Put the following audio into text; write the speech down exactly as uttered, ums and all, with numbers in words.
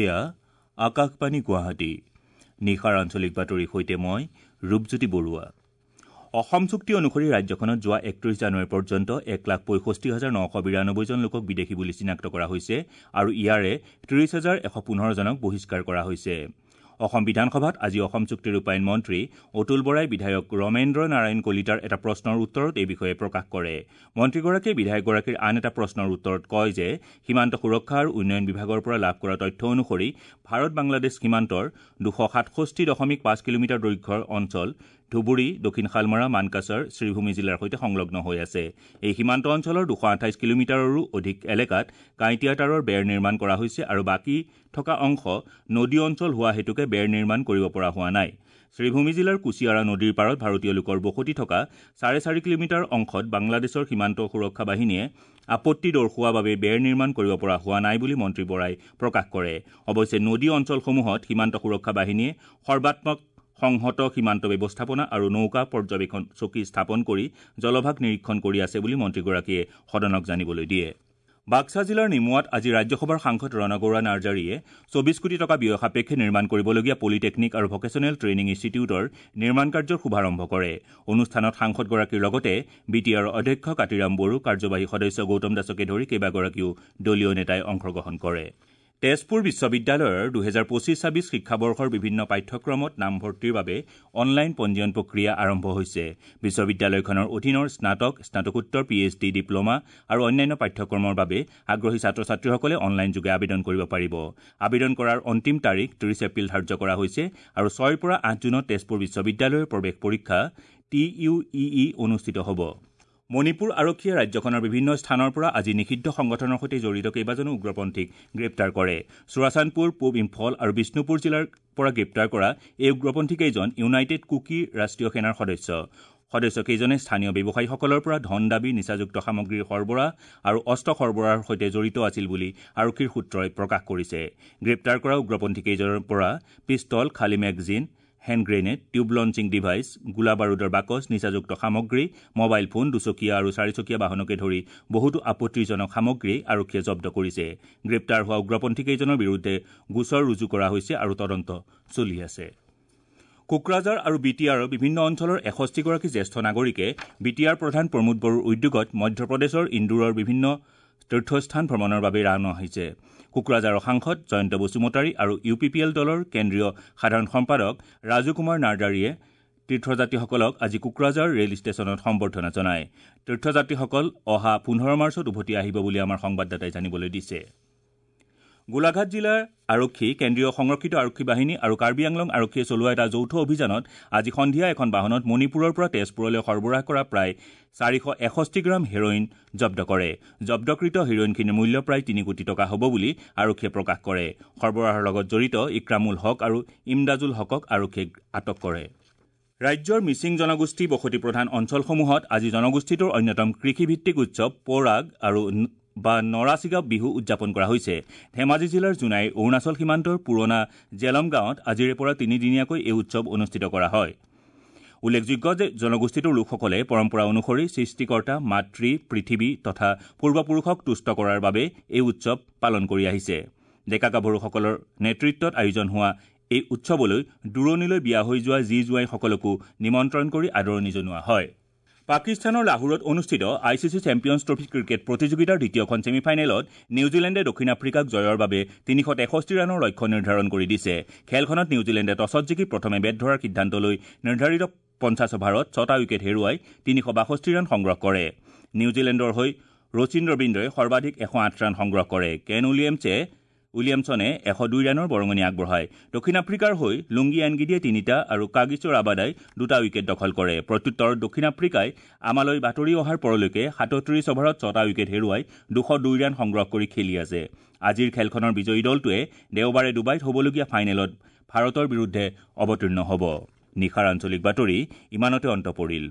এয়া আকাশবাণী গুৱাহাটী। নিশাৰ আঞ্চলিক বাতৰিৰ সৈতে মই ৰূপজ্যোতি বৰুৱা। অসম চুক্তি অনুসৰি ৰাজ্যখনত যোৱা একত্ৰিশ জানুৱাৰী পৰ্যন্ত এক লাখ পঁয়ষষ্ঠি হাজাৰ নশ বিৰানব্বৈজন লোকক বিদেশী বুলি চিনাক্ত কৰা হৈছে আৰু ইয়াৰে ত্ৰিশ হাজাৰ এশ পোন্ধৰজনক বহিষ্কাৰ কৰা হৈছে। অসম বিধানসভাত আজি অসম চুক্তি ৰূপায়ণ মন্ত্ৰী অতুল বৰাই বিধায়ক ৰমেন্দ্ৰ নাৰায়ণ কলিতাৰ এটা প্ৰশ্নৰ উত্তৰত এই বিষয়ে প্ৰকাশ কৰে। মন্ত্ৰীগৰাকীয়ে বিধায়কগৰাকীৰ আন এটা প্ৰশ্নৰ উত্তৰত কয় যে সীমান্ত সুৰক্ষা আৰু উন্নয়ন বিভাগৰ পৰা লাভ কৰা তথ্য অনুসৰি ভাৰত বাংলাদেশ সীমান্তৰ দুশ সাতষষ্ঠি দশমিক পাঁচ কিলোমিটাৰ দৈৰ্ঘ্যৰ অঞ্চল ধুবুৰী, দক্ষিণ শালমাৰা, মানকাছাৰ, শ্ৰীভূমি জিলাৰ সৈতে সংলগ্ন হৈ আছে। এই সীমান্ত অঞ্চলৰ দুশ আঠাইছ কিলোমিটাৰৰো অধিক এলেকাত কাঁইটীয়া তাঁৰৰ বেৰ নিৰ্মাণ কৰা হৈছে আৰু বাকী থকা অংশ নদী অঞ্চল হোৱা হেতুকে বেৰ নিৰ্মাণ কৰিব পৰা হোৱা নাই। শ্ৰীভূমি জিলাৰ কুছিয়াৰা নদীৰ পাৰত ভাৰতীয় লোকৰ বসতি থকা চাৰে চাৰি কিলোমিটাৰ অংশত বাংলাদেশৰ সীমান্ত সুৰক্ষা বাহিনীয়ে আপত্তি দৰ্শোৱা বাবে বেৰ নিৰ্মাণ কৰিব পৰা হোৱা নাই বুলি মন্ত্ৰী বৰাই প্ৰকাশ কৰে। অৱশ্যে নদী অঞ্চলসমূহত সীমান্ত সুৰক্ষা বাহিনীয়ে সৰ্বাত্মক সংহত সীমান্ত ব্যৱস্থাপনা আৰু নৌকা পৰ্যবেক্ষণ চকী স্থাপন কৰি জলভাগ নিৰীক্ষণ কৰি আছে বুলি মন্ত্ৰীগৰাকীয়ে সদনক জানিবলৈ দিয়ে। বাক্সা জিলাৰ নিমুৱাত আজি ৰাজ্যসভাৰ সাংসদ ৰণগৌৰা নাৰ্জাৰীয়ে চৌবিশ কোটি টকা ব্যয় সাপেক্ষে নিৰ্মাণ কৰিবলগীয়া পলিটেকনিক আৰু ভকেচনেল ট্ৰেইনিং ইনষ্টিটিউটৰ নিৰ্মাণ কাৰ্যৰ শুভাৰম্ভ কৰে। অনুষ্ঠানত সাংসদগৰাকীৰ লগতে বি টি আৰৰ অধ্যক্ষ কাতিৰাম বড়ো, কাৰ্যবাহী সদস্য গৌতম দাসকে ধৰি কেইবাগৰাকীও দলীয় নেতাই অংশগ্ৰহণ কৰে। তেজপুৰ বিশ্ববিদ্যালয়ৰ দুহেজাৰ পঁচিছ ছাব্বিছ শিক্ষাবৰ্ষৰ বিভিন্ন পাঠ্যক্ৰমত নামভৰ্তিৰ বাবে অনলাইন পঞ্জীয়ন প্ৰক্ৰিয়া আৰম্ভ হৈছে। বিশ্ববিদ্যালয়খনৰ অধীনৰ স্নাতক, স্নাতকোত্তৰ, পি এইচ ডি, ডিপ্ল'মা আৰু অন্যান্য পাঠ্যক্ৰমৰ বাবে আগ্ৰহী ছাত্ৰ ছাত্ৰীসকলে অনলাইনযোগে আবেদন কৰিব পাৰিব। আবেদন কৰাৰ অন্তিম তাৰিখ ত্ৰিশ এপ্ৰিল ধাৰ্য কৰা হৈছে আৰু ছয়ৰ পৰা আঠ জুনত তেজপুৰ বিশ্ববিদ্যালয়ৰ প্ৰৱেশ পৰীক্ষা টি ইউ ই ই অনুষ্ঠিত হ'ব। মণিপুৰ আৰক্ষীয়ে ৰাজ্যখনৰ বিভিন্ন স্থানৰ পৰা আজি নিষিদ্ধ সংগঠনৰ সৈতে জড়িত কেইবাজনো উগ্ৰপন্থীক গ্ৰেপ্তাৰ কৰে। চুৰাচান্দপুৰ, পূব ইম্ফল আৰু বিষ্ণুপুৰ জিলাৰ পৰা গ্ৰেপ্তাৰ কৰা এই উগ্ৰপন্থীকেইজন ইউনাইটেড কুকি ৰাষ্ট্ৰীয় সেনাৰ সদস্য। সদস্যকেইজনে স্থানীয় ব্যৱসায়ীসকলৰ পৰা ধন দাবী, নিচাযুক্ত সামগ্ৰীৰ সৰবৰাহ আৰু অস্ত্ৰ সৰবৰাহৰ সৈতে জড়িত আছিল বুলি আৰক্ষীৰ সূত্ৰই প্ৰকাশ কৰিছে। গ্ৰেপ্তাৰ কৰা উগ্ৰপন্থীকেইজনৰ পৰা পিষ্টল, খালী magazine, hand grenade, tube launching device, গোলা বাৰুদৰ বাকচ, নিচাযুক্ত সামগ্ৰী, মোবাইল ফোন, দুচকীয়া আৰু চাৰিচকীয়া বাহনকে ধৰি বহুতো আপত্তিজনক সামগ্ৰী আৰক্ষীয়ে জব্দ কৰিছে। গ্ৰেপ্তাৰ হোৱা উগ্ৰপন্থীকেইজনৰ বিৰুদ্ধে গোচৰ ৰুজু কৰা হৈছে আৰু তদন্ত চলি আছে। কোকৰাঝাৰ আৰু বি টি আৰৰ বিভিন্ন অঞ্চলৰ এষষ্ঠিগৰাকী জ্যেষ্ঠ নাগৰিকে বি টি আৰ প্ৰধান প্ৰমোদ বড়োৰ উদ্যোগত মধ্যপ্ৰদেশৰ ইন্দোৰৰ বিভিন্ন তীৰ্থস্থান ভ্ৰমণৰ বাবে ৰাওনা হৈছে। কোকৰাঝাৰৰ সাংসদ জয়ন্ত বসুমতাৰী আৰু ইউ পি পি এল দলৰ কেন্দ্ৰীয় সাধাৰণ সম্পাদক ৰাজু কুমাৰ নাৰ্জাৰীয়ে তীৰ্থযাত্ৰীসকলক আজি কোকৰাঝাৰ ৰেল ষ্টেচনত সম্বৰ্ধনা জনায়। তীৰ্থযাত্ৰীসকল অহা পোন্ধৰ মাৰ্চত উভতি আহিব বুলি আমাৰ সংবাদদাতাই জানিবলৈ দিছে। গোলাঘাট জিলাৰ আৰক্ষী, কেন্দ্ৰীয় সংৰক্ষিত আৰক্ষী বাহিনী আৰু কাৰ্বি আংলং আৰক্ষীয়ে চলোৱা এটা যৌথ অভিযানত আজি সন্ধিয়া এখন বাহনত মণিপুৰৰ পৰা তেজপুৰলৈ সৰবৰাহ কৰা প্ৰায় চাৰিশ এষষ্ঠি গ্ৰাম হেৰইন জব্দ কৰে। জব্দকৃত হেৰইনখিনিৰ মূল্য প্ৰায় তিনি কোটি টকা হ'ব বুলি আৰক্ষীয়ে প্ৰকাশ কৰে। সৰবৰাহৰ লগত জড়িত ইক্ৰামুল হক আৰু ইমদাজুল হকক আৰক্ষীয়ে আটক কৰে। ৰাজ্যৰ মিচিং জনগোষ্ঠী বসতি প্ৰধান অঞ্চলসমূহত আজি জনগোষ্ঠীটোৰ অন্যতম কৃষিভিত্তিক উৎসৱ পৰাগ আৰু বা নৰাচিগা বিহু উদযাপন কৰা হৈছে। ধেমাজি জিলাৰ জোনাইৰ অৰুণাচল সীমান্তৰ পুৰণা জেলম গাঁৱত আজিৰে পৰা তিনিদিনীয়াকৈ এই উৎসৱ অনুষ্ঠিত কৰা হয়। উল্লেখযোগ্য যে জনগোষ্ঠীটোৰ লোকসকলে পৰম্পৰা অনুসৰি সৃষ্টিকৰ্তা মাতৃ পৃথিৱী তথা পূৰ্বপুৰুষক তুষ্ট কৰাৰ বাবে এই উৎসৱ পালন কৰি আহিছে। ডেকা গাভৰুসকলৰ নেতৃত্বত আয়োজন হোৱা এই উৎসৱলৈ দূৰণিলৈ বিয়া হৈ যোৱা জী জোঁৱাইসকলকো নিমন্ত্ৰণ কৰি আদৰণি জনোৱা হয়। পাকিস্তানৰ লাহোৰত অনুষ্ঠিত I C C Champions Trophy cricket প্ৰতিযোগিতাৰ দ্বিতীয়খন ছেমিফাইনেলত নিউজিলেণ্ডে দক্ষিণ আফ্ৰিকাক জয়ৰ বাবে তিনিশ তেষষ্ঠি ৰানৰ লক্ষ্য নিৰ্ধাৰণ কৰি দিছে। খেলখনত নিউজিলেণ্ডে টছত জিকি প্ৰথমে বেট ধৰাৰ সিদ্ধান্ত লৈ নিৰ্ধাৰিত পঞ্চাছ অভাৰত ছটা উইকেট হেৰুৱাই তিনিশ বাষষ্ঠি ৰান সংগ্ৰহ কৰে। নিউজিলেণ্ডৰ হৈ ৰচিন ৰবীন্দ্ৰই সৰ্বাধিক এশ আঠ ৰান সংগ্ৰহ কৰে। কেন উইলিয়ামছে উইলিয়ামছনে এশ দুই ৰানৰ বৰঙণি আগবঢ়ায়। দক্ষিণ আফ্ৰিকাৰ হৈ লুংগি এনগিডিয়ে তিনিটা আৰু কাগিছৰ আবাদাই দুটা উইকেট দখল কৰে। প্ৰত্যুত্তৰত দক্ষিণ আফ্ৰিকাই আমালৈ বাতৰি অহাৰ পৰলৈকে সাতত্ৰিশ অভাৰত ছটা উইকেট হেৰুৱাই দুশ দুই ৰান সংগ্ৰহ কৰি খেলি আছে। আজিৰ খেলখনৰ বিজয়ী দলটোৱে দেওবাৰে ডুবাইত হ'বলগীয়া ফাইনেলত ভাৰতৰ বিৰুদ্ধে অৱতীৰ্ণ হ'ব। নিশাৰ আঞ্চলিক বাতৰি ইমানতে অন্ত পৰিল।